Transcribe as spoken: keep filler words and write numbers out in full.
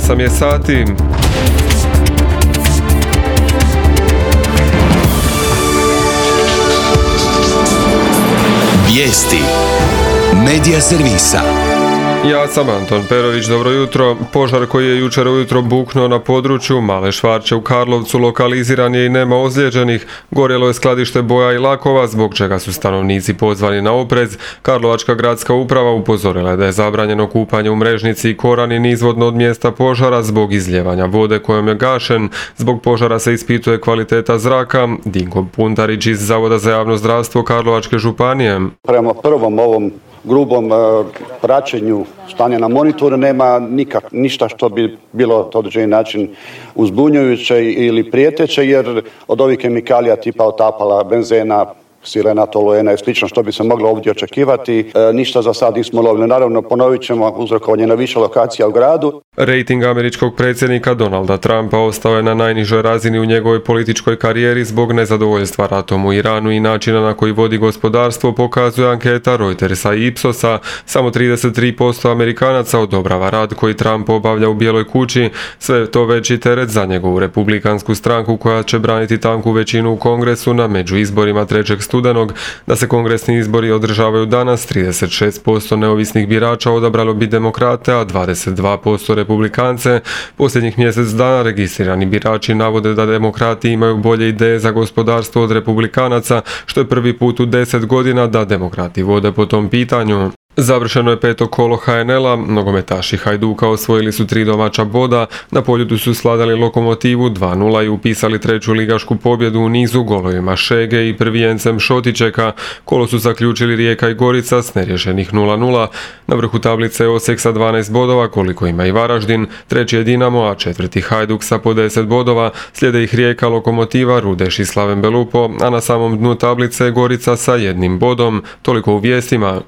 osam je sati. Vijesti Medija servisa. Ja sam Anton Perović, dobro jutro. Požar koji je jučer ujutro buknuo na području Male Švarće u Karlovcu lokaliziran je i nema ozlijeđenih. Gorjelo je skladište boja i lakova, zbog čega su stanovnici pozvani na oprez. Karlovačka gradska uprava upozorila je da je zabranjeno kupanje u Mrežnici i Korani nizvodno od mjesta požara zbog izljevanja vode kojom je gašen. Zbog požara se ispituje kvaliteta zraka. Dinko Puntarić iz Zavoda za javno zdravstvo Karlovačke županije. Prema prvom ovom grubom uh, praćenju stanja na monitoru nema nikak, ništa što bi bilo na određeni način uzbunjujuće ili prijeteće, jer od ovih kemikalija tipa otapala, benzena, sirena, toluena i slično što bi se moglo ovdje očekivati, e, ništa za sad nismo lovili. Naravno, ponovit ćemo uzrokovanje na više lokacija u gradu. Rejting američkog predsjednika Donalda Trumpa ostao je na najnižoj razini u njegovoj političkoj karijeri zbog nezadovoljstva ratom u Iranu i načina na koji vodi gospodarstvo, pokazuje anketa Reutersa i Ipsosa. Samo trideset tri posto Amerikanaca odobrava rad koji Trump obavlja u Bijeloj kući, sve to veći teret za njegovu republikansku stranku koja će braniti tanku većinu u Kongresu na međuizborima trećeg studenog. Da se kongresni izbori održavaju danas, trideset šest posto neovisnih birača odabralo bi demokrate, a dvadeset dva posto republikance. Posljednjih mjesec dana registrirani birači navode da demokrati imaju bolje ideje za gospodarstvo od republikanaca, što je prvi put u deset godina da demokrati vode po tom pitanju. Završeno je peto kolo ha en el a, nogometaši Hajduka osvojili su tri domaća boda, na Poljudu su sladali Lokomotivu dva nula i upisali treću ligašku pobjedu u nizu golovima Šege i prvijencem Šotičeka. Kolo su zaključili Rijeka i Gorica s neriješenih nula nula. Na vrhu tablice je Osijek sa dvanaest bodova, koliko ima i Varaždin, treći je Dinamo, a četvrti Hajduk sa po deset bodova, slijede ih Rijeka, Lokomotiva, Rudeš i Slaven Belupo, a na samom dnu tablice je Gorica sa jednim bodom. Toliko u vijestima.